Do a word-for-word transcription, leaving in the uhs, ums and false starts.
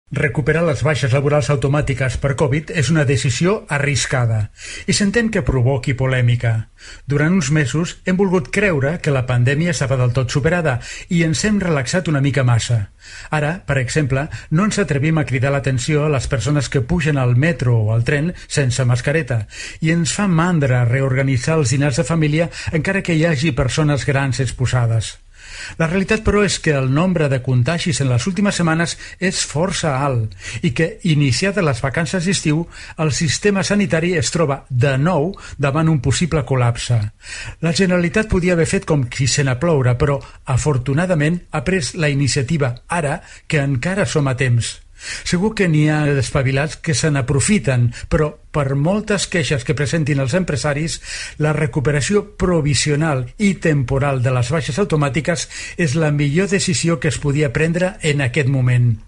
Recuperar les baixes laborals automàtiques per Covid és una decisió arriscada i s'entén que provoqui polèmica. Durant uns mesos hem volgut creure que la pandèmia estava del tot superada i ens hem relaxat una mica massa. Ara, per exemple, no ens atrevim a cridar l'atenció a les persones que pugen al metro o al tren sense mascareta i ens fa mandra reorganitzar els dinars de família encara que hi hagi persones grans exposades. La realitat, però, és que el nombre de contagis en les últimes setmanes és força alt i que, iniciades les vacances d'estiu, el sistema sanitari es troba de nou davant un possible col·lapse. La Generalitat podia haver fet com qui sent a ploure, però, afortunadament, ha pres la iniciativa ara que encara som a temps. Segur que n'hi ha despavilats que se n'aprofiten, però per moltes queixes que presentin els empresaris, la recuperació provisional i temporal de les baixes automàtiques és la millor decisió que es podia prendre en aquest moment.